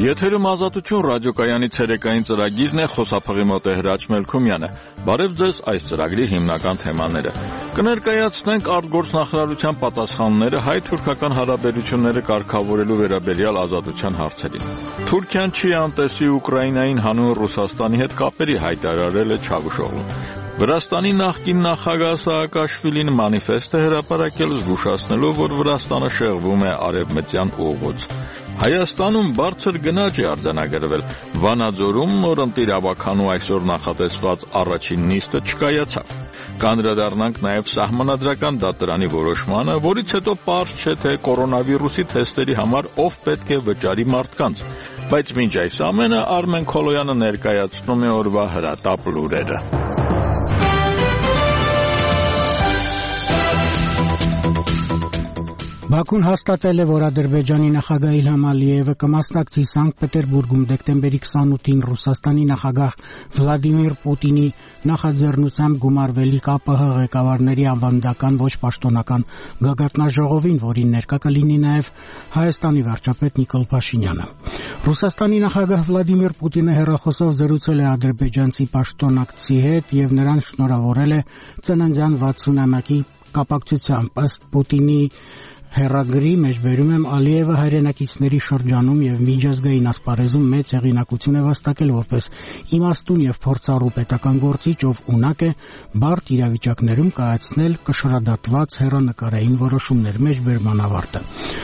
Եթերում ազատություն ռադիոկայանի ցերեկային ծրագիրն է, խոսափողի մոտ է Հրաչ Մելքումյանը։ Բարև ձեզ, այս ծրագրի հիմնական թեմաները։ Կներկայացնենք արտգործնախարարության պատասխանները հայ-թուրքական հարաբերությունները կարգավորելու վերաբերյալ ազատության հարցերին։ Թուրքիան չի անտեսի Ուկրաինային հանուն Ռուսաստանի հետ կապերի, հայտարարել է Չավուշօղլուն։ Վրաստանի նախկին նախագահ Սաակաշվիլին մանիֆեստ է հրապարակել, զգուշացնելով, որ Վրաստանը շեղվում է արևմտյան ուղուց։ Հայաստանում բարձր գնաճ է արձանագրվել։ Վանաձորում նորընտիր ավականու այսօր նախատեսված առաջին նիստը չկայացավ։ Կանդրադառնանք նաև սահմանադրական դատարանի որոշմանը, որից հետո պարզ չէ, թե կորոնավիրուսի թեստերի համար ով պետք է վճարի մարդկանց։ Բայց մինչ այս ամենը Արմեն Քոլոյանը ներկայացնում է օրվա հրատապ լուրերը։ Բաքուն հաստատել է, որ Ադրբեջանի նախագահ Իլհամ Ալիևը կմասնակցի Սանկտ Պետերբուրգում դեկտեմբերի 28-ին Ռուսաստանի նախագահ Վլադիմիր Պուտինի նախաձեռնությամբ գումարվելիք ԱՊՀ ղեկավարների ավանդական ոչ պաշտոնական գագաթնաժողովին, որին ներկա կլինի նաև Հայաստանի վարչապետ Նիկոլ Փաշինյանը։ Ռուսաստանի նախագահ Վլադիմիր Պուտինը հեռախոսով զրուցել է ադրբեջանցի պաշտոնակցի հետ եւ նրան շնորհավորել է ծննդյան 60-ամյակի կապակցությամբ։ Ըստ Պուտինի հեռագրի մեջ բերում եմ Ալիևը հայրենակիցների շրջանում եւ միջազգային ասպարեզում մեծ հեղինակություն է վաստակել որպես իմաստուն եւ փորձառու պետական գործիչ, ով ունակ է բարդ իրավիճակներում կայացնել կշռադատված հեռանկարային որոշումներ։ Մեջ բերման ավարտը։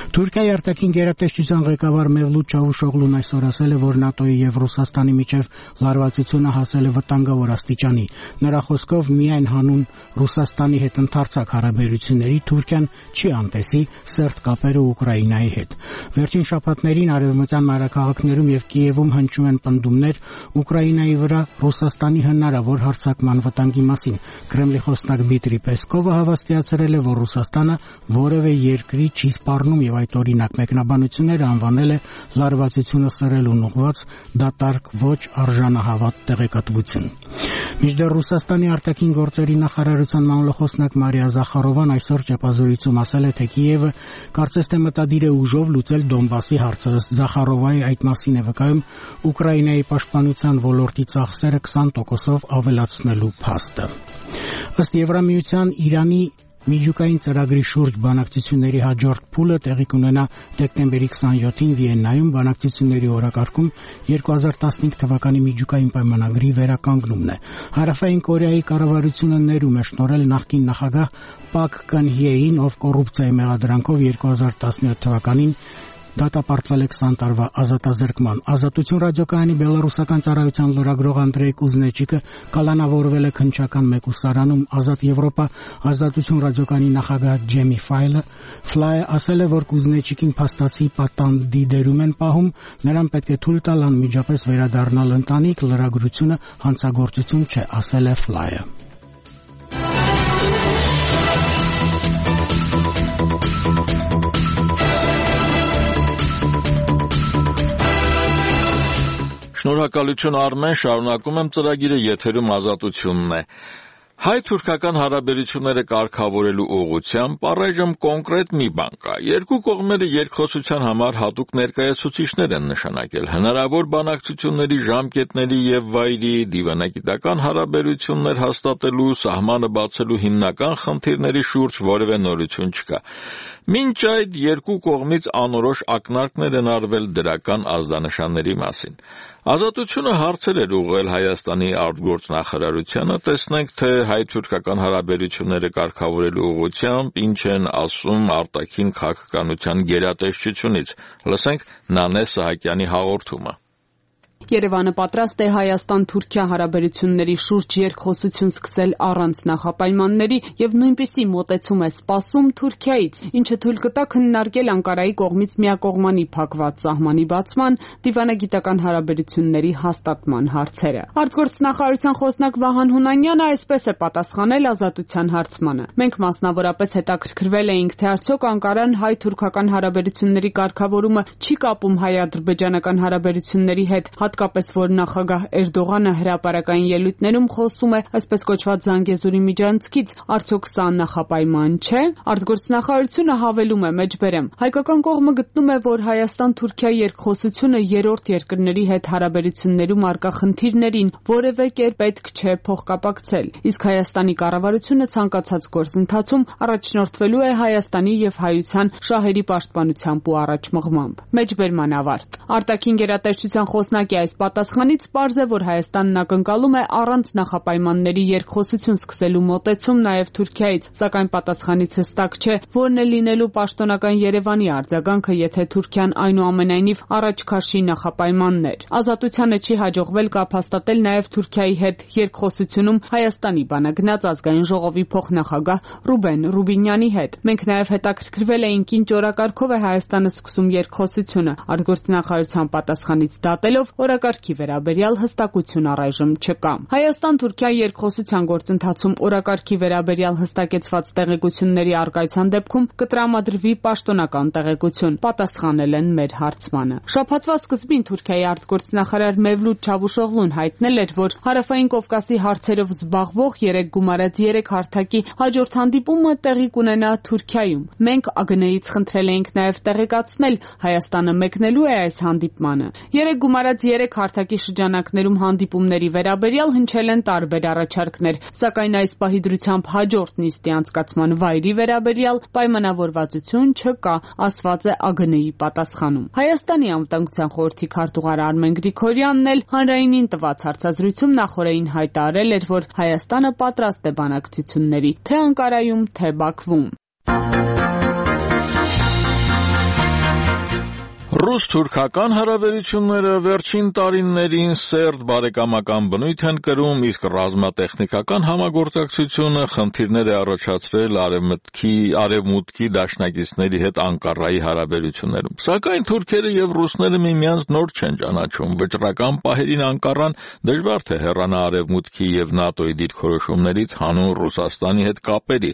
Թուրքիայի արտաքին գերատեսչության ղեկավար Մևլութ Չավուշօղլուն այսօր ասել է, որ ՆԱՏՕ-ի եւ Ռուսաստանի միջև լարվածությունը հասել է վտանգավոր աստիճանի։ Նրա խոսքով միայն հանուն Ռուսաստանի հետ ընդարձակ հարաբերությունների Թուրքիան չի անտեսի սերտ կապերը Ուկրաինայի հետ։ Վերջին շաբաթներին արևմտյան մայրաքաղաքներում եւ Կիևում հնչում են պնդումներ Ուկրաինայի վրա Ռուսաստանի հնարավոր հարձակման վտանգի մասին։ Կրեմլի խոսնակ Դմիտրի Պեսկովը հավաստիացրել է, որ Ռուսաստանը որևէ երկրի չի սպառնում եւ այդ օրինակ մեկնաբանությունները անվանել է լարվածությունը սրելուն ուղղված դատարկ ոչ արժանահավատ տեղեկատվություն։ Մինչդեռ Ռուսաստանի արտաքին գործերի նախարարության մամլոխոսնակ Մարիա Զախարովան այսօր ճեպազորույցում ասել է, թե Կիևը կարծես թե մտադիր է ուժով լուծել Դոնբասի հարցը։ Զախարովայի այդ մասին է վկայում Ուկրաինայի պաշտպանության ոլորտի ծախսերը 20%-ով ավելացնելու փաստը։ Ըստ Եվրամիության Իրանի միջուկային ծրագրի շուրջ բանակցությունների հաջորդ փուլը տեղի կունենա դեկտեմբերի 27-ին Վիեննայում։ Բանակցությունների օրակարգում 2015 թվականի միջուկային պայմանագրի վերականգնումն է։ Հարավային Կորեայի կառավարությունը ներում է շնորհել նախկին նախագահ Պակ Կըն-հյեին, ով կոռուպցիայի մեղադրանքով 2017 թվականին դատապարտվել է 20 տարվա ազատազրկման։ Ազատություն ռադիոկայանի բելարուսական ծառայության լրագրող Անդրեյ Կուզնեչիկը կալանավորվել է քննչական մեկուսարանում Ազատ Եվրոպա ազատություն ռադիոկայանի նախագահ Ջեմի Ֆլայը ասել է, որ Կուզնեչիկին փաստացի պատանդի դերում են պահում, նրան պետք է թույլ տալ անմիջապես վերադառնալ ընտանիք, լրագրությունը հանցագործություն չէ, ասել է Ֆլայը։ Շնորհակալություն Արմեն, շարունակում եմ ծրագիրը, եթերում ազատությունն է։ Հայ-թուրքական հարաբերությունները կարգավորելու ուղղությամբ առայժմ կոնկրետ մի բան կա։ Երկու կողմերը երկխոսության համար հատուկ ներկայացուցիչներ են նշանակել։ Հնարավոր բանակցությունների ժամկետների եւ վայրի, դիվանագիտական հարաբերություններ հաստատելու, սահմանը բացելու հիմնական խնդիրների շուրջ որևէ նորություն չկա։ Մինչ այդ երկու կողմից անորոշ ակնարկներ են արվել դրական ազդանշանների մասին։ Ազատությունը հարցեր էր ուղղել Հայաստանի արտգործնախարարությանը, տեսնենք, թե հայ-թուրքական հարաբերությունները կարգավորելու ուղղությամբ ինչ են ասում արտաքին քաղաքականության գերատեսչությունից։ Լսենք Նանե Սահակյանի հաղորդումը։ Երևանը պատրաստ է Հայաստան-Թուրքիա հարաբերությունների շուրջ երկխոսություն սկսել առանց նախապայմանների եւ նույնպիսի մոտեցում է սպասում Թուրքիայից, ինչը թույլ կտա քննարկել Անկարայի կողմից միակողմանի փակված սահմանի բացման, դիվանագիտական հարաբերությունների հաստատման հարցերը։ Արտգործնախարարության խոսնակ Վահան Հունանյանը այսպես է պատասխանել ազատության հարցմանը։ Մենք մասնավորապես հետաքրքրվել էինք, թե արդյոք Անկարան հայ-թուրքական հարաբերությունների կարգավորումը չի կապում հայ-ադրբեջանական հարաբերությունների հետ, հատկապես որ նախագահ Էրդողանը հրապարակային ելույթներում խոսում է այսպես կոչված Զանգեզուրի միջանցքից, արդյոք սա նախապայման չէ։ Արտգործնախարարությունը հավելում է մեջբերեմ. հայկական կողմը գտնում է, որ Հայաստան-Թուրքիա երկխոսությունը երրորդ երկրների հետ հարաբերություններում առկա խնդիրներին որևէ կերպ պետք չէ փոխկապակցել, իսկ Հայաստանի կառավարությունը ցանկացած գործընթացում առաջնորդվելու է Հայաստանի եւ հայության շահերի պաշտպանությամբ ու առաջմղմամբ։ Մեջբերման ավարտ։ Արտաքին գերատեսչության խոսնակի այս պատասխանից պարզ է, որ Հայաստանն ակնկալում է առանց նախապայմանների երկխոսություն սկսելու մոտեցում նաեւ Թուրքիայից, սակայն պատասխանից հստակ չէ, որն է լինելու պաշտոնական Երևանի արձագանքը, եթե Թուրքիան այնուամենայնիվ առաջ քաշի նախապայմաններ։ Ազատությանը չի հաջողվել կապ հաստատել նաեւ Թուրքիայի հետ երկխոսությունում Հայաստանի բանագնաց ազգային ժողովի փոխնախագահ Ռուբեն Ռուբինյանի հետ։ Մենք նաեւ հետաքրքրվել էինք ինչ օրակարգով է Հայաստանը սկսում երկխոսությունը։ Արտգործնախարարության պատասխանից դատելով օրակարգի վերաբերյալ հստակություն առայժմ չկա։ Հայաստան-Թուրքիա երկխոսության գործընթացում օրակարգի վերաբերյալ հստակեցված տեղեկությունների առկայության դեպքում կտրամադրվի պաշտոնական տեղեկություն, պատասխանել են մեր հարցմանը։ Շաբաթվա սկզբին Թուրքիայի արտգործնախարար Մևլութ Չավուշօղլուն հայտնել էր, որ Հարավային Կովկասի հարցերով զբաղվող 3+3 հարթակի հաջորդ հանդիպումը տեղի կունենա Թուրքիայում։ Մենք ԱԳՆ-ից խնդրել էինք նաև տեղեկացնել Հայաստանը մեկնելու է այս հանդիպմանը։ 3+3 հարթակի շրջանակներում հանդիպումների վերաբերյալ հնչել են տարբեր առաջարկներ, սակայն այս պահի դրությամբ հաջորդ նիստի անցկացման վայրի վերաբերյալ պայմանավորվածություն չկա, ասված է ԱԳՆ-ի պատասխանում։ Հայաստանի անվտանգության խորհրդի քարտուղար Արմեն Գրիգորյանն էլ հանրայինին տված հարցազրույցում նախորդին հայտարարել էր, որ Հայաստանը պատրաստ է բանակցությունների թե Անկարայում, թե Բաքվում։ Ռուս-թուրքական հարաբերությունները վերջին տարիներին սերտ բարեկամական բնույթ են կրում, իսկ ռազմատեխնիկական համագործակցությունը խնդիրներ է առաջացրել արևմուտքի դաշնակիցների հետ Անկարայի հարաբերություններում։ Սակայն թուրքերը եւ ռուսները միմյանց նոր չեն ճանաչում։ Վճռական պահերին Անկարան դժվար թե հեռանա արևմուտքի եւ ՆԱՏՕ-ի դիրքորոշումներից հանուն Ռուսաստանի հետ կապերի։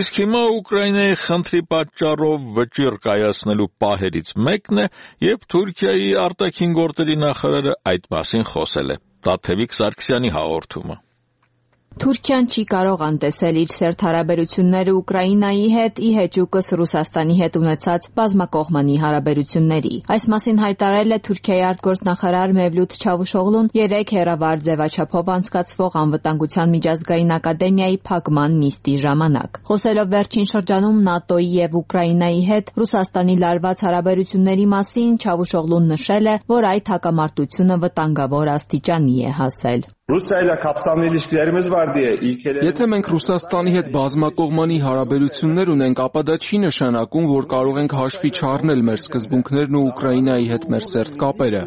Իսկ հիմա Ուկրաինայի խնդրի պատճառով վճիռ կայացնելու պահերից մեկն է, երբ Թուրքիայի արտաքին գործերի նախարարը այդ մասին խոսել է։ Տաթևիկ Սարգսյանի հաղորդումը։ Թուրքիան չի կարող անտեսել իր սերտ հարաբերությունները Ուկրաինայի հետ ի հեճուկս Ռուսաստանի հետ ունեցած բազմակողմանի հարաբերությունների։ Այս մասին հայտարարել է Թուրքիայի արտգործնախարար Մևլութ Չավուշօղլուն 3 հեռավար ձևաչափով անցկացվող անվտանգության միջազգային ակադեմիայի փակման նիստի ժամանակ։ Խոսելով վերջին շրջանում ՆԱՏՕ-ի եւ Ուկրաինայի հետ Ռուսաստանի լարված հարաբերությունների մասին, Չավուշօղլուն նշել է, որ այդ հակամարտությունը վտանգավոր աստիճանի է հասել։ Եթե մենք Ռուսաստանի հետ բազմակողմանի հարաբերություններ ունենք, ապա դա չի նշանակում, որ կարող ենք հաշվի չառնել մեր սկզբունքներն ու Ուկրաինայի հետ մեր սերտ կապերը։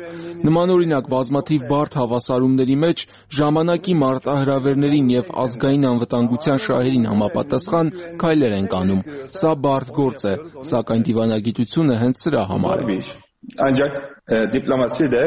Նմանօրինակ բազմաթիվ բարդ հավասարումների մեջ ժամանակի մարտահրավերներին եւ ազգային անվտանգության շահերին համապատասխան քայլեր ենք անում։ Սա բարդ գործ է, սակայն դիվանագիտությունը հենց սրա համար է։ Ancak diplomasi de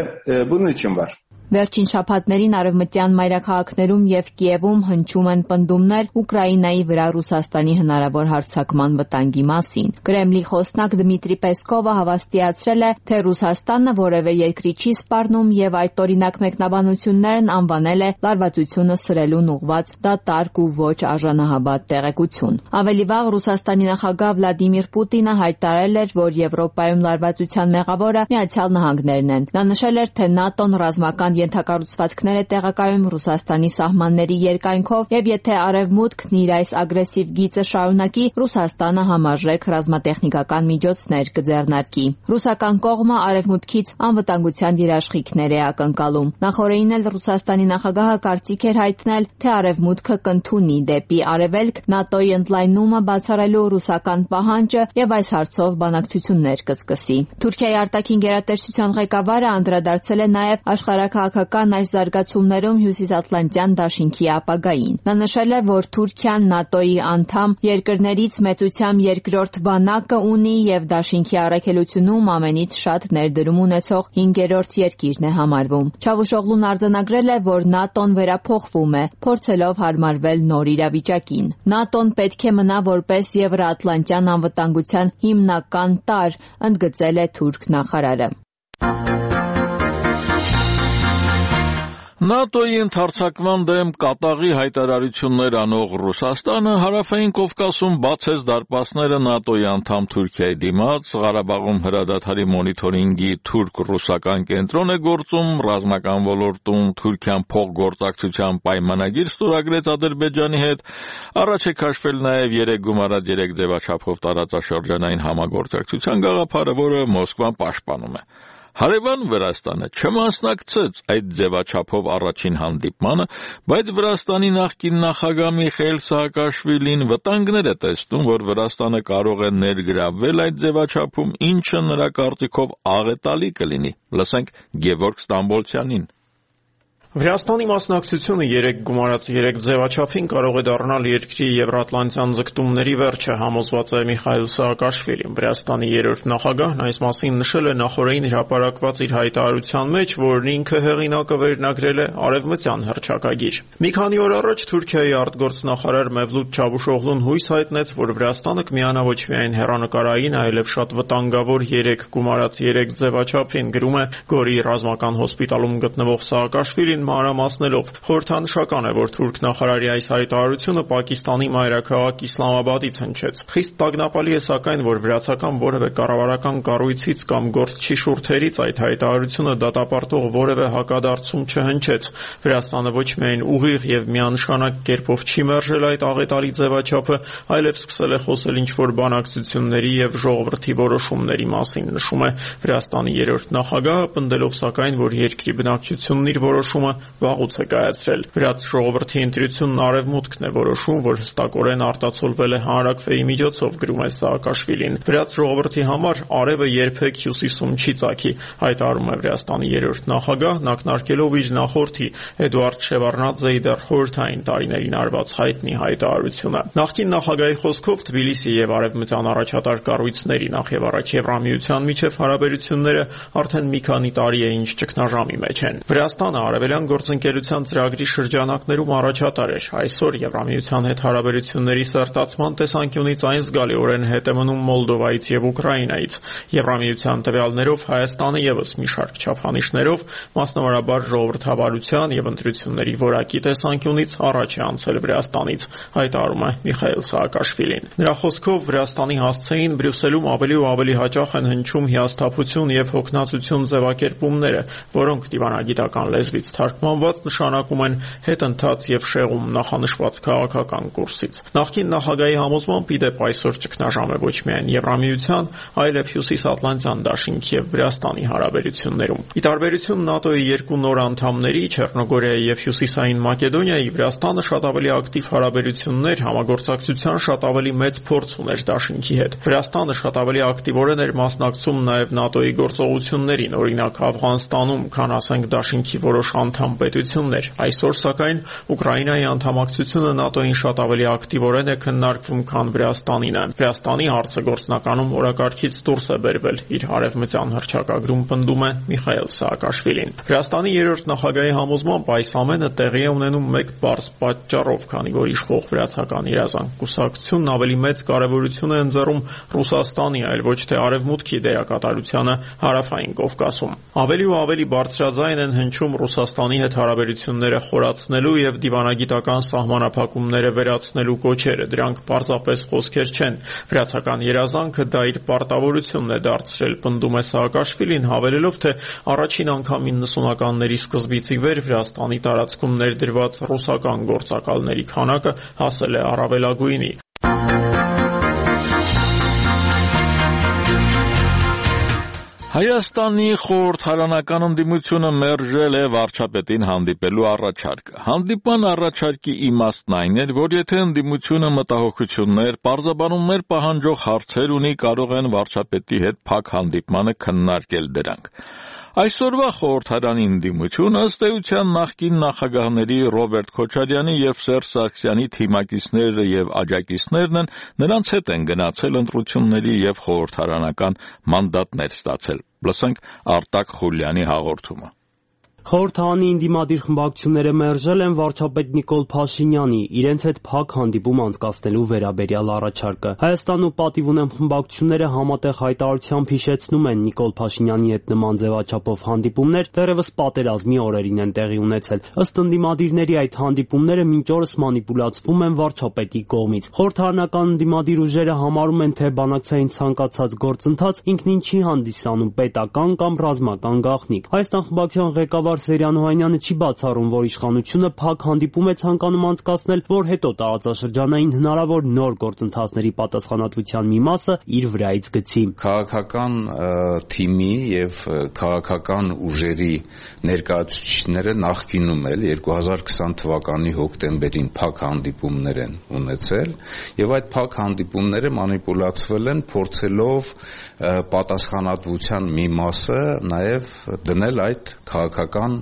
bunun için var. Վերջին շաբաթներին արևմտյան մայրաքաղաքներում եւ Կիևում հնչում են պնդումներ Ուկրաինայի վրա Ռուսաստանի հնարավոր հարձակման վտանգի մասին։ Կրեմլի խոսնակ Դմիտրի Պեսկովը հավաստիացրել է, թե Ռուսաստանը որևէ երկրի չի սպառնում եւ այդ օրինակ մեկնաբանություններն անվանել է լարվածությունը սրելուն ուղղված դատարկ ու ոչ արժանահաբատ տեղեկություն։ Ավելի վաղ Ռուսաստանի նախագահ Վլադիմիր Պուտինը հայտարարել էր, որ Եվրոպայում լարվածության մեղավորը Միացյալ Նահանգներն են։ Նա նշել էր, թե ՆԱՏՕ-ն ռազմական ենթակառուցվածքներ է տեղակայում Ռուսաստանի սահմանների երկայնքով եւ եթե Արևմուտքն իր այս ագրեսիվ գիծը շարունակի, Ռուսաստանը համարժեք ռազմատեխնիկական միջոցներ կձեռնարկի։ Ռուսական կողմը Արևմուտքից անվտանգության երաշխիքներ է ակնկալում։ Նախորդին էլ Ռուսաստանի նախագահը կարծիք էր հայտնել, թե Արևմուտքը կընդունի դեպի Արևելք ՆԱՏՕ-ի ընդլայնումը բացառելու ռուսական պահանջը եւ այս հարցով բանակցություններ կսկսի։ Թուրքիայի արտաքին գերատեսչության ղեկավարը անդրադարձել է նաեւ աշխարհաքաղաքական այս զարգացումներում Հյուսիսատլանտյան դաշինքի ապագային։ Նա նշել է, որ Թուրքիան ՆԱՏՕ-ի անդամ երկրներից մեծությամբ երկրորդ բանակը ունի եւ դաշինքի առաքելությունում ամենից շատ ներդրում ունեցող 5-րդ երկիրն է համարվում։ Չավուշօղլուն արձանագրել է, որ ՆԱՏՕ-ն վերափոխվում է, փորձելով հարմարվել նոր իրավիճակին։ ՆԱՏՕ-ն պետք է մնա որպես Եվրոատլանտյան անվտանգության հիմնական տարր, ընդգծել է թուրք նախարարը։ ՆԱՏՕ-ի ընդհարձակման դեմ կատաղի հայտարարություններ անող Ռուսաստանը հարավային Կովկասում բացեց դարպասները ՆԱՏՕ-ի անդամ Թուրքիայի դիմաց, Ղարաբաղում հրադադարի մոնիթորինգի թուրք-ռուսական կենտրոն է գործում, ռազմական ոլորտում Թուրքիան փոխգործակցության պայմանագիր ստորագրեց Ադրբեջանի հետ, առաջ է քաշվել նաև 3 գումարած 3 ձևաչափով տարածաշրջանային համագործակցության գաղափարը, որը Մոսկվան պաշտպանում է։ Հարևան Վրաստանը չմասնակցեց այդ ձևաչափով առաջին հանդիպմանը, բայց Վրաստանի նախկին նախագահ Միխայիլ Սահակաշվիլին վտանգներ է տեսնում, որ Վրաստանը կարող է ներգրավվել այդ ձևաչափում, ինչը նրա կարծիքով աղետալի կլինի։ Լսենք Գևորգ Ստամբոլցյանին։ Վրաստանի մասնակցությունը 3 գումարած 3 ձևաչափին կարող է դառնալ երկրի եվրատլանտյան ձգտումների վերջը, համոզված է Միխայիլ Սահակաշվիլին։ Վրաստանի 3-րդ նախագահն այս մասին նշել է նախօրեին հրապարակված իր հայտարարության մեջ, որն ինքը հեղինակը վերնագրել է արևմտյան հռչակագիր։ Մի քանի օր առաջ Թուրքիայի արտգործնախարար Մևլութ Չավուշօղլուն հույս հայտնեց, որ Վրաստանը կմիանա ոչ միայն հեռանկարային, այլև շատ վտանգավոր 3 գումարած 3 ձևաչափին, գրում է Գորի ռազմական հոսպիտալում գտնվող Սահակաշվիլին մանրամասնելով։ Խորհրդանշական է, որ թուրք նախարարի այս հայտարարությունը Պակիստանի մայրաքաղաք Իսլամաբադից հնչեց։ Խիստ տագնապալի է սակայն, որ վրացական որևէ կառավարական կառույցից կամ գործչի շուրթերից այդ հայտարարությունը դատապարտող որևէ հակադարձում չհնչեց։ Վրաստանը ոչ միայն ուղիղ եւ միանշանակ կերպով չի մերժել այդ աղետալի ձևաչափը, այլև սկսել է խոսել ինչ-որ բանակցությունների եւ ժողովրդի որոշումների մասին, նշում է Վրաստանի 3-րդ նախագահը, պնդելով սակայն, որ երկրի բնակչությունն իր որոշումը վաղուց է կայացրել։ Վրաց ժողովրդի ընտրությունն արևմուտքն է որոշում, որ հստակորեն արտացոլվել է հանրաքվեի միջոցով, գրում է Սահակաշվիլին։ Վրաց ժողովրդի համար արևը երբեք հյուսիսում չի ծագի, հայտարարում է Վրաստանի 3-րդ նախագահն, ակնարկելով իր նախորդի Էդուարդ Շևարդնաձեի դեռ խորհրդային տարիներին արված հայտնի հայտարարությունը։ Նախկին նախագահի խոսքով Թբիլիսի եւ արևմտյան առաջատար կառույցների, նախ եւ առաջ Եվրամիության միջև հարաբերությունները արդեն մի քանի տարի է ինչ ճգնաժամի մեջ են։ Վրաստանը արևելյան գործընկերության ծրագրի շրջանակներում առաջատար էր։ Այսօր Եվրամիության հետ հարաբերությունների սերտացման տեսանկյունից այն զգալիորեն հետ է մնում Մոլդովայից եւ Ուկրաինայից։ Եվրամիության տվյալներով Հայաստանը եւս մի շարք չափանիշներով, մասնավորաբար ժողովրդավարության եւ ընտրությունների որակի տեսանկյունից առաջ է անցել Վրաստանից, հայտարարում է Միխայիլ Սահակաշվիլին։ Նրա խոսքով Վրաստանի հասցեին Բրյուսելում ավելի ու ավելի հաճախ են հնչում հիասթափություն եւ հոգնածություն ձևակերպումները, որոնք դիվանագիտական լեզվից թարգմանված նշանակում են հետընթաց եւ շեղում նախանշված քաղաքական կուրսից։ Նախկին նախագահի համոզմամբ իդեպ այսօր ճգնաժամ է ոչ միայն Եվրամիության, այլև Հյուսիսատլանտյան դաշինքի եւ Վրաստանի հարաբերություններում։ Ի տարբերություն ՆԱՏՕ-ի 2 նոր անդամների՝ Չեռնոգորիայի եւ Հյուսիսային Մակեդոնիայի, Վրաստանը շատ ավելի ակտիվ հարաբերություններ, համագործակցության շատ ավելի մեծ փորձ ուներ դաշինքի հետ։ Վրաստանը շատ ավելի ակտիվորեն էր մասնակցում նաեւ ՆԱՏՕ-ի գործողություններին, օրինակ Աֆղանստանում, քան ասենք դաշինքի որոշ անդամ պետություններ։ Այսօր սակայն Ուկրաինայի անդամակցությունը ՆԱՏՕ-ին շատ ավելի ակտիվորեն է քննարկվում, քան Վրաստանինը։ Վրաստանի հարցը գործնականում օրակարգից դուրս է բերվել, իր արևմտյան հռչակագրում պնդում է Միխայիլ Սահակաշվիլին։ Վրաստանի 3-րդ նախագահի համոզմամբ այս ամենը տեղի է ունենում մեկ պարզ պատճառով, քանի որ իշխող վրացական երազանք կուսակցությունն ավելի մեծ կարևորություն է ընձեռում Ռուսաստանի, այլ ոչ թե արևմուտքի դերակատարությանը հարավային Կովկասում։ Ավելի ու ավելի բարձրաձայն են հնչում Ռուսաստանի հետ հարաբերությունները խորացնելու եւ դիվանագիտական սահմանափակումները վերացնելու կոչերը։ Դրանք պարզապես խոսքեր չեն։ Վրացական երազանքը դա իր պարտավորությունն է դարձրել, պնդում է Սահակաշվիլին, հավելելով, թե առաջին անգամ 90-ականների սկզբից ի վեր Վրաստանի տարածքում ներդրված ռուսական գործակալների քանակը հասել է առավելագույնի։ Հայաստանի խորհրդարանական ընդդիմությունը մերժել է վարչապետին հանդիպելու առաջարկը։ Հանդիպման առաջարկի իմաստն այն էր, որ եթե ընդդիմությունը մտահոգություններ, պարզաբանումներ պահանջող հարցեր ունի, կարող են վարչապետի հետ փակ հանդիպմանը քննարկել դրանք։ Այսօրվա խորհրդարանի ընդդիմությունը ըստ էության նախկին նախագահների Ռոբերտ Քոչարյանի եւ Սերժ Սարգսյանի թիմակիցները եւ աջակիցներն են, նրանց հետ են գնացել ընտրությունների եւ խորհրդարանական մանդատներ ստացել։ Լսենք Արտակ Խուլյանի հաղորդումը։ Խորհրդարանի ընդդիմադիր խմբակցությունները մերժել են վարչապետ Նիկոլ Փաշինյանի իրենց հետ փակ հանդիպում անցկացնելու վերաբերյալ առաջարկը։ Հայաստան ու Պատիվ ունեմ խմբակցությունները համատեղ հայտարարությամբ հիշեցնում են Նիկոլ Փաշինյանի հետ նման ձևաչափով հանդիպումներ դեռևս պատերազմի օրերին են տեղի ունեցել։ Ըստ ընդդիմադիրների այդ հանդիպումները մինչ օրս մանիպուլացվում են վարչապետի կողմից։ Խորհրդարանական ընդդիմադիր ուժերը համարում են, թե բանակցային ցանկացած գործընթաց ինքնին չի հանդիսանում պետական կամ ռազմական գաղտնիք։ Հայաստան խմբակցության ղեկավար Սերյան Օհանյանը չի բացառում, որ իշխանությունը փակ հանդիպում է ցանկանում անցկացնել, որ հետո տարածաշրջանային հնարավոր նոր գործընթացների պատասխանատվության մի մասը իր վրայից գցի։ Քաղաքական թիմի եւ քաղաքական ուժերի ներկայացուցիչները նախկինում էլ 2020 թվականի հոկտեմբերին փակ հանդիպումներ են ունեցել եւ այդ փակ հանդիպումները մանիպուլացվել են փորձելով պատասխանատվության մի մասը նաեւ դնել այդ քաղաքական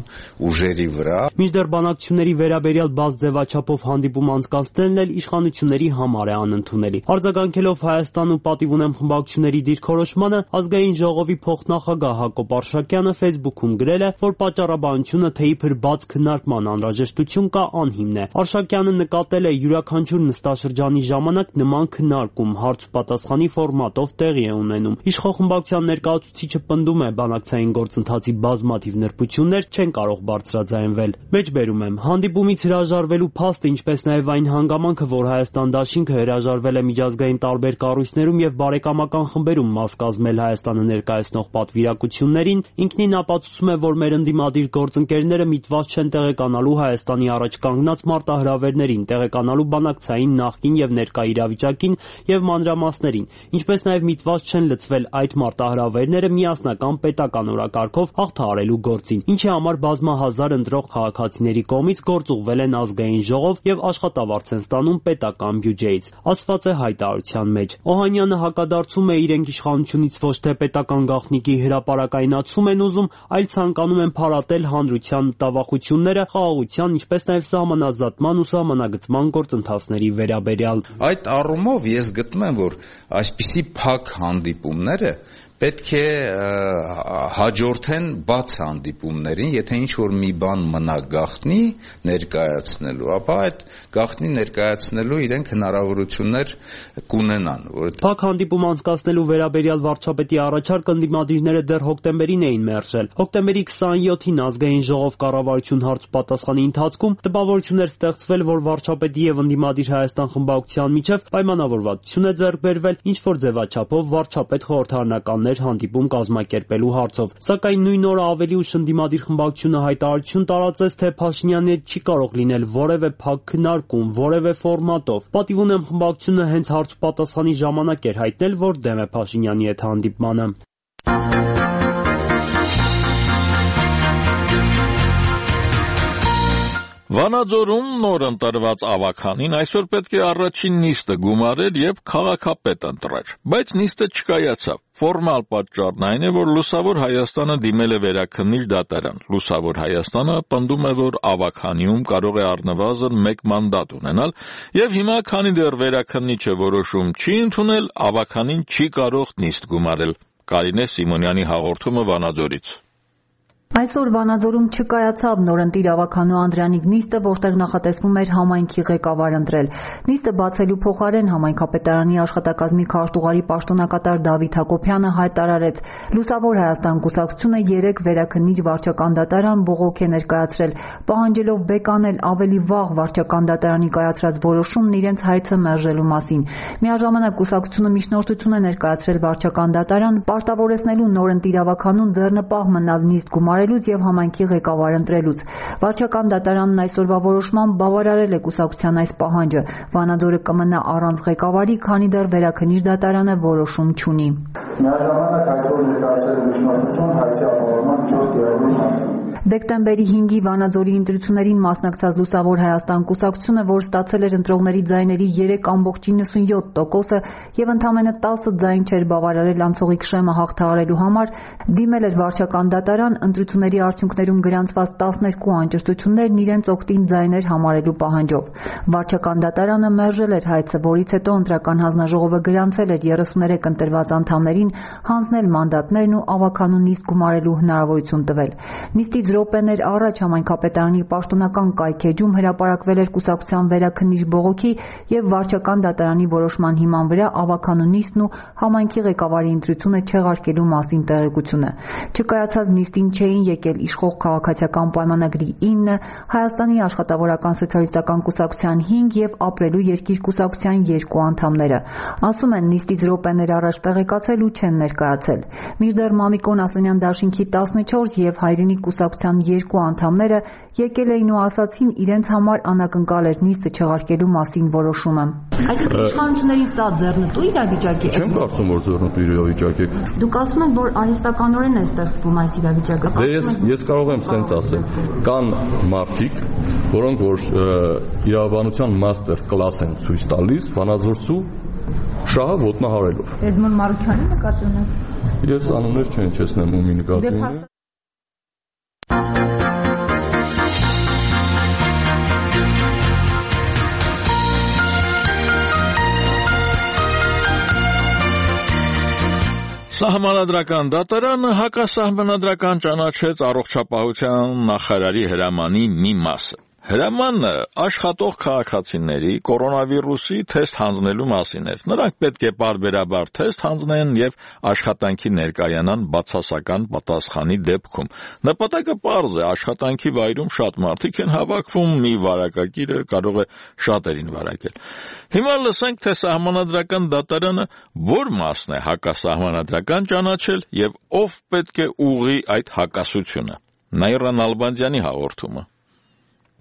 ուժերի վրա։ Մինչդեռ բանակցությունների վերաբերյալ բաց ձևաչափով հանդիպում անցկացնելն էլ իշխանությունների համար է անընդունելի։ Արձագանքելով Հայաստան ու Պատիվ ունեմ խմբակցությունների դիրքորոշմանը, ազգային ժողովի փոխնախագահ Հակոբ Արշակյանը Facebook-ում գրել է, որ պատճառաբանությունը թե իբր բաց քննարկման անհրաժեշտություն կա անհիմն է։ Արշակյանը նկատել է յուրաքանչյուր նստաշրջանի ժամանակ նման քննարկում հարց ու պատասխանի ֆորմատով տեղի է ունենում։ Իշխող խմբակցության ներկայացուցիչը պնդում է, բանակցային գործընթացի բազմաթիվ նրբություններ չեն կարող բարձրաձայնվել։ Մեջբերում եմ, հանդիպումից հրաժարվելու փաստը, ինչպես նաև այն հանգամանքը, որ Հայաստան դաշինքը հրաժարվել է միջազգային տարբեր կառույցներում եւ բարեկամական խմբերում մաս կազմել Հայաստանը ներկայացնող պատվիրակություններին, ինքնին ապացուցում է, որ մեր ընդդիմադիր գործընկերները միտված չեն տեղեկանալու Հայաստանի առաջ կանգնած մարտահրավերներին, տեղեկանալու բանակցային նախկին եւ ներկա իրավիճակին եւ մանրամասներին, ինչպես նաև միտված չեն լծվել այդ մարտահրավերները միասնական պետական օրակարգով հաղթահարելու գործին, ինչի համար բազմահազար ընտրող քաղաքացիների կողմից գործուղվել են ազգային ժողով եւ աշխատավարձ են ստանում պետական բյուջեից, ասված է հայտարարության մեջ։ Օհանյանը հակադարձում է, իրենք իշխանությունից ոչ թե պետական գաղտնիքի հրապարակայնացում են ուզում, այլ ցանկանում են փարատել հանրության մտավախությունները խաղաղության, ինչպես նաև սահմանազատման ու սահմանագծման գործընթացների վերաբերյալ։ Այդ առումով ես գտնում եմ, որ այսպիսի փակ հանդիպումները պետք է հաջորդեն բաց հանդիպումներին, եթե ինչ-որ մի բան մնա գաղտնի ներկայացնելու, ապա այդ գաղտնի ներկայացնելու իրենք հնարավորություններ կունենան։ Փակ հանդիպում անցկացնելու վերաբերյալ վարչապետի առաջարկը ընդդիմադիրները դեռ հոկտեմբերին էին մերժել։ Հոկտեմբերի 27-ին ազգային ժողով կառավարություն հարց-պատասխանի ընթացքում տպավորություններ ստեղծվել, որ վարչապետի եւ ընդդիմադիր Հայաստան խմբակցության միջև պայմանավորվածություն է ձեռք բերվել ինչ-որ ձևաչափով վարչապետ խորհրդարանական հանդիպում կազմակերպելու հարցով, սակայն նույն օրը ավելի ուշ ընդդիմադիր խմբակցությունը հայտարարություն տարածեց, թե Փաշինյանի հետ չի կարող լինել որևէ փակ քննարկում, որևէ ֆորմատով։ Պատիվ ունեմ խմբակցությունը հենց հարց ու պատասխանի ժամանակ էր հայտնել, որ դեմ է Փաշինյանի հետ հանդիպմանը։ Վանաձորում նոր ընտրված ավագանին այսօր պետք է առաջին նիստը գումարել եւ քաղաքապետ ընտրել, բայց նիստը չկայացավ։ Ֆորմալ պատճառն այն է, որ Լուսավոր Հայաստանը դիմել է վերաքննիչ դատարան։ Լուսավոր Հայաստանը պնդում է, որ ավագանիում կարող է առնվազն 1 մանդատ ունենալ, եւ հիմա, քանի դեռ վերաքննիչը որոշում չի ընդունել, ավագանին չի կարող նիստ գումարել։ Կարինե Սիմոնյանի հաղորդումը Վանաձորից։ Այսօր Վանաձորում չկայացավ նորընտիր ավագանու Անդրանիկ նիստը, որտեղ նախատեսվում էր համայնքի ղեկավար ընտրել։ Նիստը բացելու փոխարեն համայնքապետարանի աշխատակազմի քարտուղարի պաշտոնակատար Դավիթ Հակոբյանը հայտարարեց. Լուսավոր Հայաստան կուսակցությունը 3 վերաքննիչ վարչական դատարան բողոք է ներկայացրել, պահանջելով բեկանել ավելի վաղ վարչական դատարանի կայացրած որոշումն իրենց հայցը մերժելու մասին։ Միաժամանակ կուսակցությունը միջնորդություն է ներկայացրել վարչական դատարան, պարտավորեցնելու նորընտիր ավագանուն ձեռնպահ մնալ նիստ գումարելուց եւ համայնքի ղեկավար ընտրելուց։ Վարչական դատարանն այսօրվա որոշմամբ բավարարել է կուսակցության այս պահանջը։ Վանաձորը կմնա առանց ղեկավարի, քանի դեռ վերաքննիչ դատարանը որոշում չունի։ Միաժամանակ այսօր ներկայացրել միջնորդություն հայցի ապահովման 4 գերագույն մասին։ Դեկտեմբերի 5-ի Վանաձորի ընտրություններին մասնակցած Լուսավոր Հայաստան կուսակցությունը, որ ստացել էր ընտրողների ձայների 3.97%-ը եւ ընդամենը 10 ձայն չէր բավարարել անցողիկ շեմը հաղթահարելու համար, դիմել էր վարչական դատարան ընտրությունների ընտրությունների արդյունքներում գրանցված 12 անճշտություններն իրենց օգտին ձայներ համարելու պահանջով։ Վարչական դատարանը մերժել էր հայցը, որից հետո ընտրական հանձնաժողովը գրանցել էր 33 ընտրված անդամներին հանձնել մանդատներն ու ավականու նիստ գումարելու հնարավորություն տվել։ Նիստից րոպեներ առաջ համայնքապետարանի պաշտոնական կայքեջում հրապարակվել էր կուսակցության վերաքննիչ բողոքի և վարչական դատարանի որոշման հիման վրա ավականու նիստն ու համայնքի ղեկավարի ընտրությունը չեղարկելու մասին տեղեկությունը։ Չկայացած նիստին չէին եկել իշխող քաղաքացիական պայմանագրի 9, Հայաստանի աշխատավորական սոցիալիստական կուսակցության 5 և Ապրելու երկիր կուսակցության 2 անդամները։ Ասում են նիստից րոպեներ առաջ տեղեկացել ու չեն ներկայացել։ Մինչդեռ Մամիկոն Ասլանյան դաշինքի 14 և Հայրենիք կուսակցության 2 անդամները եկել էին ու ասացին իրենց համար անակնկալ էր նիստը չեղարկելու մասին որոշումը։ Այսինքն իշխանությունների սա ձեռնտու իրավիճակ է։ Չեմ կարծում, որ ձեռնտու իրավիճակ է։ Դուք ասում եք, որ արհեստականորեն է ստեղծվում այս իրավիճակը։ Ես կարող եմ սենց ասել։ Կան մարդիկ, որոնք որ իրավաբանության մաստեր կլաս են ցույց տալիս վանաձորցու շահը ոտնահարելով։ Էդմոն Մարուքյանի նկատի ունեք։ Ես անուններ չեմ չեսնեմ ումի նկատի ունեմ։ Սահմանադրական դատարանը հակասահմանադրական ճանաչեց առողջապահության նախարարի հրամանի մի մասը։ Հրամանը աշխատող քաղաքացիների կորոնավիրուսի թեստ հանձնելու մասին էր։ Նրանք պետք է պարբերաբար թեստ հանձնեն և աշխատանքի ներկայանան բացասական պատասխանի դեպքում։ Նպատակը պարզ է, աշխատանքի վայրում շատ մարդիկ են հավաքվում, մի վարակագիրը կարող է շատերին վարակել։ Հիմա լսենք, թե սահմանադրական դատարանը որ մասն է հակասահմանադրական ճանաչել և ով պետք է ուղղի այդ հակասությունը։ Նաիրա Նալբանդյանի հաղորդումը։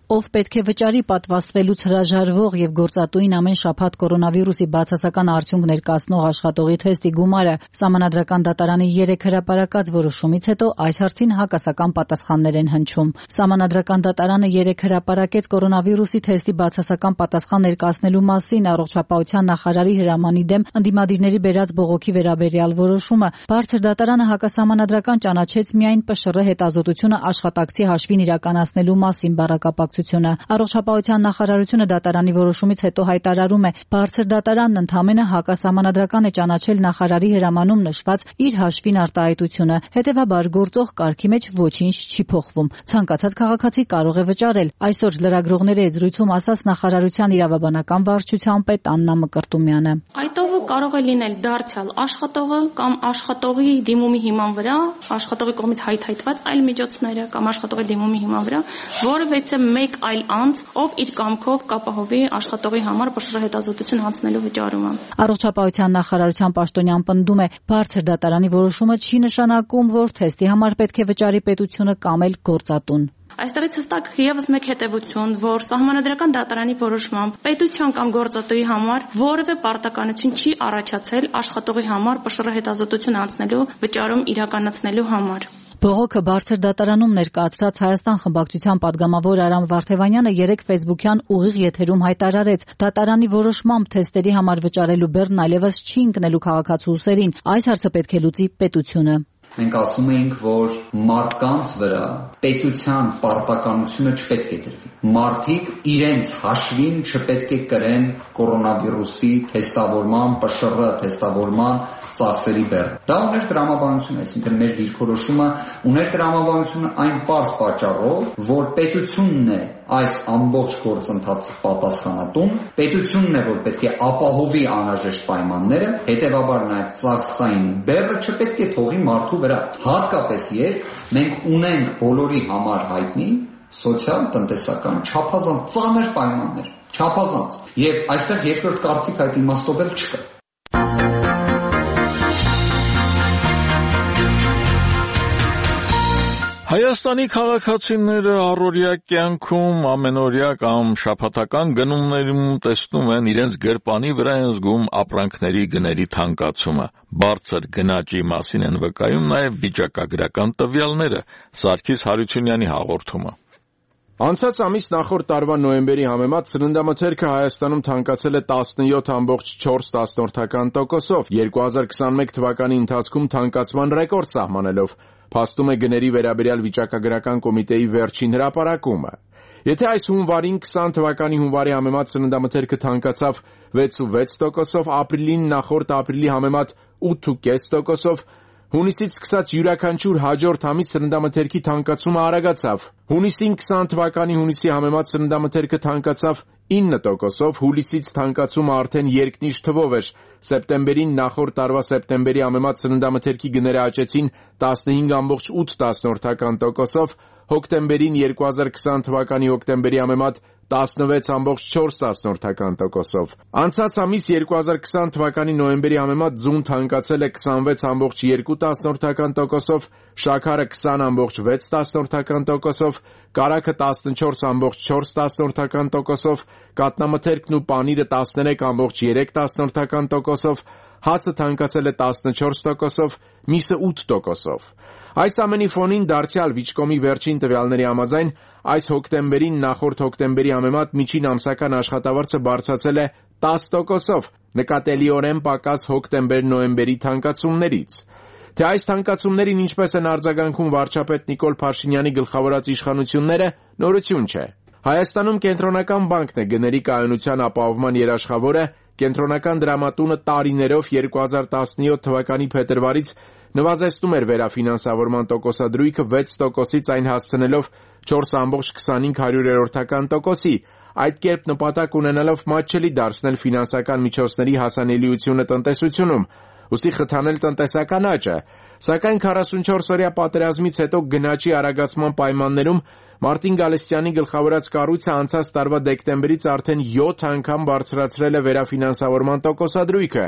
Ով պետք է վճարի պատվաստվելուց հրաժարվող և գործատուին ամեն շաբաթ կորոնավիրուսի բացասական արդյունք ներկայացնող աշխատողի թեստի գումարը Սահմանադրական դատարանի 3 հրապարակած որոշումից հետո այս հարցին հակասական պատասխաններ են հնչում։ Սահմանադրական դատարանը 3 հրապարակեց կորոնավիրուսի թեստի բացասական պատասխան ներկայացնելու մասին առողջապահության նախարարի հրամանի դեմ ընդդիմադիրների բերած բողոքի վերաբերյալ որոշումը։ Բարձր դատարանը հակասահմանադրական ճանաչեց միայն ՊՇՌ հետազոտությունը աշխատակցի հաշվին իրականացնելու մասին բառակապակ Առողջապահության նախարարությունը դատարանի որոշումից հետո հայտարարում է, բարձր դատարանն ընդամենը հակասահմանադրական է ճանաչել նախարարի հրամանում նշված իր հաշվին արտահայտությունը, հետևաբար գործող կարգի մեջ ոչինչ չի փոխվում։ Ցանկացած քաղաքացի կարող է վճարել։ Այսօր լրագրողների հետ զրույցում ասաց նախարարության իրավաբանական վարչության պետ Աննա Մկրտումյանը։ Այդ ով կարող է լինել դարձյալ աշխատողը կամ աշխատողի դիմումի հիման վրա, աշխատողի կողմից հայթայթված այլ միջոցները կամ աշխատողի դիմումի հիման վրա, որովհետեւ մեկ այլ անձ, ով իր կամքով կապահովի աշխատողի համար ՊՇՌ հետազոտություն հանձնելու վճարումը։ Առողջապահության նախարարության պաշտոնյան պնդում է, բարձր դատարանի որոշումը չի նշանակում, որ թեստի համար պետք է վճարի պետությունը կամ էլ գործատուն։ Այստեղից հստակ եւս մեկ հետևություն, որ սահմանադրական դատարանի որոշմամբ պետության կամ գործատուի համար որևէ պարտականություն չի առաջացել աշխատողի համար ՊՇՌ հետազոտություն անցնելու վճարում իրականացնելու համար։ Բողոքը բարձր դատարանում ներկայացրած Հայաստան խմբակցության падգամավոր Արամ Վարդևանյանը 3 ֆեյսբուքյան ուղիղ եթերում հայտարարեց. դատարանի որոշմամբ թեստերի համար վճարելու բեռն այլևս չի ընկնելու քաղաքացու ուսերին, այս հարցը պետք է լուծի պետությունը։ Մենք ասում էինք, որ մարդկանց վրա պետության պարտականությունը չպետք է դրվի։ Մարդիկ իրենց հաշվին չպետք է կրեն կորոնավիրուսի թեստավորման, ՊՇՌ թեստավորման ծախսերի բեռը։ Դա ուներ տրամաբանություն, այսինքն մեր դիրքորոշումը ուներ տրամաբանությունը այն պարզ պատճառով, որ պետությունն է այս ամբողջ գործընթացի պատասխանատուն, պետությունն է, որ պետք է ապահովի անհրաժեշտ պայմանները, հետևաբար նաև ծախսային բեռը չպետք է թողի մարդու վրա, հատկապես երբ մենք ունենք բոլորի համար հայտնի սոցիալ-տնտեսական չափազանց ծանր պայմաններ, չափազանց, եւ այստեղ երկրորդ կարծիք այդ իմաստով էլ չկա։ Հայաստանի քաղաքացիները առօրյա կյանքում ամենօրյա կամ շաբաթական գնումներում տեսնում են իրենց գրպանի վրա են զգում ապրանքների գների թանկացումը։ Բարձր գնաճի մասին են վկայում նաև վիճակագրական տվյալները։ Սարգիս Հարությունյանի հաղորդումը։ Անցած ամիս նախորդ տարվա նոյեմբերի համեմատ սննդամթերքը Հայաստանում թանկացել է 17.4%-ով, 2021 թվականի ընթացքում թանկացման ռեկորդ սահմանելով, փաստում է գների վերաբերյալ վիճակագրական կոմիտեի վերջին հրապարակումը։ Եթե այս հունվարին 20 թվականի հունվարի համեմատ սննդամթերքը թանկացավ 6.6%-ով, ապրիլին նախորդ ապրիլի համեմատ 8.5%-ով, հունիսից սկսած յուրաքանչյուր հաջորդ ամիս սննդամթերքի թանկացումը արագացավ։ Հունիսին 20 թվականի հունիսի համեմատ սննդամթերքը թանկացավ 9%-ով, հուլիսից թանկացումը արդեն երկնիշ թվով էր։ Սեպտեմբերին նախորդ տարվա սեպտեմբերի համեմատ սննդամթերքի գները աճեցին 15.8%-ով, հոկտեմբերին 2020 թվականի հոկտեմբերի համեմատ 16.4%-ով։ Անցած ամիս 2020 թվականի նոյեմբերի համեմատ ձուն թանկացել է 26.2%-ով, շաքարը 20.6%-ով, կարագը 14.4%-ով, կատնամթերքն ու պանիրը 13.3%-ով, հացը թանկացել է 14%-ով, միսը 8%-ով։ Այս ամենի ֆոնին դարձյալ Վիճկոմի վերջին տվյալների համաձայն այս հոկտեմբերին նախորդ հոկտեմբերի համեմատ միջին ամսական աշխատավարձը բարձրացել է 10%-ով, նկատելիորեն պակաս հոկտեմբեր-նոյեմբերի թանկացումներից։ Թե այս թանկացումներին ինչպես են արձագանքում վարչապետ Նիկոլ Փաշինյանի գլխավորած իշխանությունները, նորություն չէ։ Հայաստանում Կենտրոնական բանկն է գների կայունության ապահովման երաշխավորը, Կենտրոնական դրամատունը տարիներով 2017 թվականի փետրվարից նվազեցնում էր վերաֆինանսավորման տոկոսադրույքը 6%-ից այն հասցնելով 4.25%-ի, այդ կերպ նպատակ ունենալով մատչելի դարձնել ֆինանսական միջոցների հասանելիությունը տնտեսությունում, ուստի խթանել տնտեսական աճը, սակայն 44-օրյա պատերազմից հետո գնաճի արագացման պայմաններում Մարտին Գալստյանի գլխավորած կառույցը անցած տարվա դեկտեմբերից արդեն 7 անգամ բարձրացրել է վերաֆինանսավորման տոկոսադրույքը,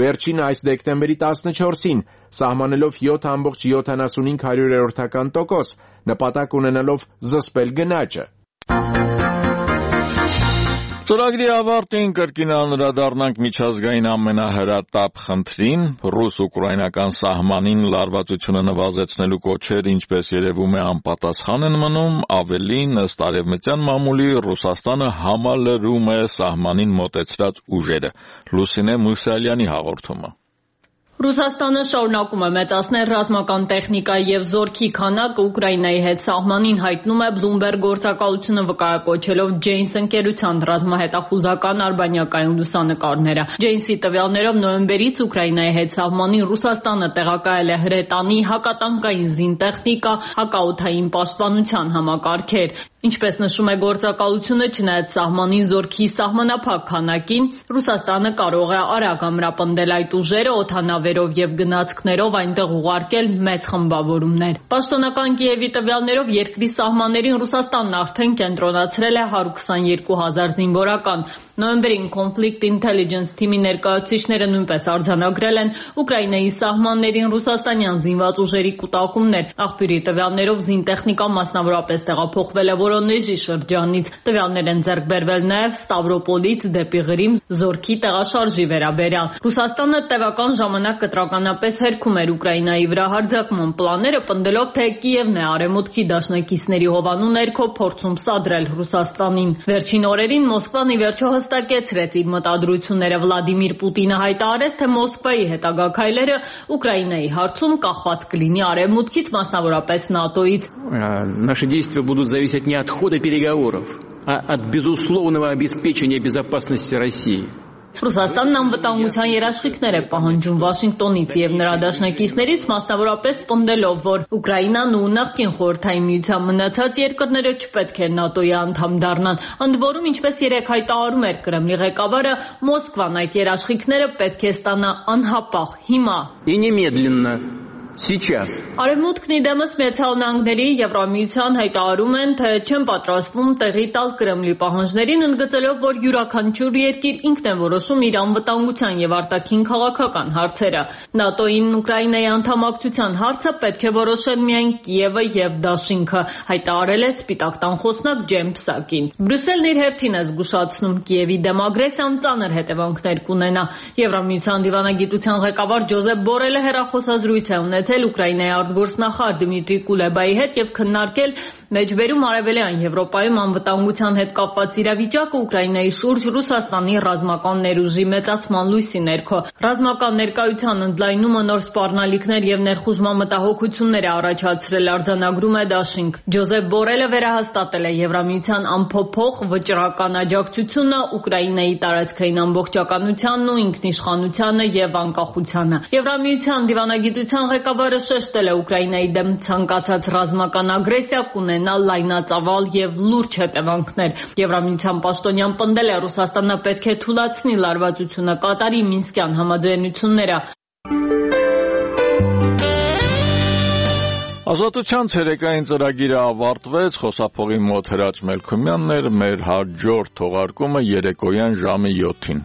վերջին այս դեկտեմբերի 14-ին, սահմանելով 7.75%, նպատակ ունենալով զսպել գնաճը։ Ծրագրի ավարտին կրկին անդրադառնանք միջազգային ամենահրատապ խնդրին, ռուս-ուկրաինական սահմանին լարվածությունը նվազեցնելու կոչեր, ինչպես երևում է, անպատասխան են մնում, ավելին, ըստ արևմտյան մամուլի, Ռուսաստանը համալրում է սահմանին մոտեցրած ուժերը։ Լուսինե Մուսալյանի հաղորդումը։ Ռուսաստանը շարունակում է մեծացնել ռազմական տեխնիկա եւ զորքի քանակը Ուկրաինայի հետ սահմանին, հայտնում է Bloomberg գործակալությունը վկայակոչելով Janes ընկերության ռազմահետախուզական արբանյակային լուսանկարները։ Janes-ի տվյալներով նոյեմբերից Ուկրաինայի հետ սահմանին Ռուսաստանը տեղակայել է հրետանի, հակատանկային զինտեխնիկա, հակաօդային պաշտպանության համակարգեր։ Ինչպես նշում է գործակալությունը, չնայած սահմանի զորքի սահմանափակ քանակին, Ռուսաստանը կարող է արագ ամրապնդել այդ ուժերը օդանավերով եւ գնացքներով այնտեղ ուղարկել մեծ խմբավորումներ։ Պաշտոնական Կիևի տվյալներով երկրի սահմաններին Ռուսաստանն արդեն կենտրոնացրել է 122,000 զինվորական։ Նոյեմբերին Conflict Intelligence թիմի ներկայացուցիչները նույնպես արձանագրել են Ուկրաինայի սահմաններին ռուսաստանյան զինված ուժերի կուտակումներ։ Աղբյուրի տվյալներով զինտեխնիկա մասնավորապես տեղափոխվել է Որոնեժի շրջանից։ Տվյալներ են ձեռք բերվել նաև Ստավրոպոլից դեպի Ղրիմ զորքի տեղաշարժի վերաբերյալ։ Ռուսաստանը տևական ժամանակ կտրականապես հերքում էր Ուկրաինայի վրա հարձակման պլանները, պնդելով, թե Կիևն է արևմուտքի դաշնակիցների հովանու ներքո փորձում սադրել Ռուսաստանին։ Վերջին օրերին Մոսկվան ի վերջո հստակեցրեց իր մտադրությունները։ Վլադիմիր Պուտինը հայտարարեց, թե Մոսկվայի հետագա քայլերը Ուկրաինայի հարցում կախված կլինի արևմուտքից, մասնավորապես ՆԱՏՕ-ից։ Наши действия будут зависеть не от хода переговоров, а от безусловного обеспечения безопасности России. Ռուսաստանն անվտանգության երաշխիքներ է պահանջում Վաշինգտոնից եւ նրա դաշնակիցներից, մասնավորապես պնդելով, որ Ուկրաինան ու նախկին Խորհրդային Միության մնացած երկրները չպետք է ՆԱՏՕ-ի անդամ դառնան։ Ընդ որում, ինչպես երեկ հայտարարում էր Կրեմլի ղեկավարը, Մոսկվան այդ երաշխիքները պետք է ստանա անհապաղ հիմա։ И немедленно. Сейчас. Արևմուտքն իդեմս Միացյալ Նահանգների Եվրամիության հայտարարում են, թե չեն պատրաստվում տեղի տալ Կրեմլի պահանջներին, ընդգծելով, որ յուրաքանչյուր երկիր ինքն է որոշում իր անվտանգության եւ արտաքին քաղաքական հարցերը։ ՆԱՏՕ-ին Ուկրաինայի անդամակցության հարցը պետք է որոշեն միայն Կիևը եւ Դաշինքը, հայտարարել է Սպիտակ տան խոսնակ Ջեն Պսակին։ Բրյուսելն իր հերթին է զգուշացնում Կիևի դեմ ագրեսիան ծանր հետևանքներ կունենա։ Եվրամիության դիվանագիտության ղեկավար Ջոզեփ Բորելը հեռախոսազրույց է ունեցել Ուկրաինայի արտգործնախարար Դմիտրի Կուլեբայի հետ եւ քննարկել Մեջբերում Արևելյան Եվրոպայում անվտանգության հետ կապված իրավիճակը Ուկրաինայի շուրջ Ռուսաստանի ռազմական ներուժի մեծացման լույսի ներքո ռազմական ներկայության ընդլայնումը նոր սպառնալիքներ եւ ներխուժման մտահոգություններ է առաջացրել, արձանագրում է Դաշինք։ Ջոզեփ Բորելը վերահաստատել է Եվրամիության ամփոփող վճռական աջակցությունը Ուկրաինայի տարածքային ամբողջականությանն ու ինքնիշխանությանը եւ անկախությանը։ Եվրամիության դիվանագիտության ղեկավարը շեշտել է Ուկրաինայի դեմ ցանկացած ռազմական ագրեսիա կունենա լայնածավալ եւ լուրջ հետևանքներ։ Եվրամիության պաշտոնյան պնդել է Ռուսաստանը պետք է թույլատնի լարվածությունը կատարի Մինսկյան համաձայնությունները։ Ազատության ցերեկային ծրագիրը ավարտվեց, խոսափողի մոտ Հրաչ Մելքումյանն էր, մեր հաջորդ թողարկումը երեկոյան ժամը 7-ին։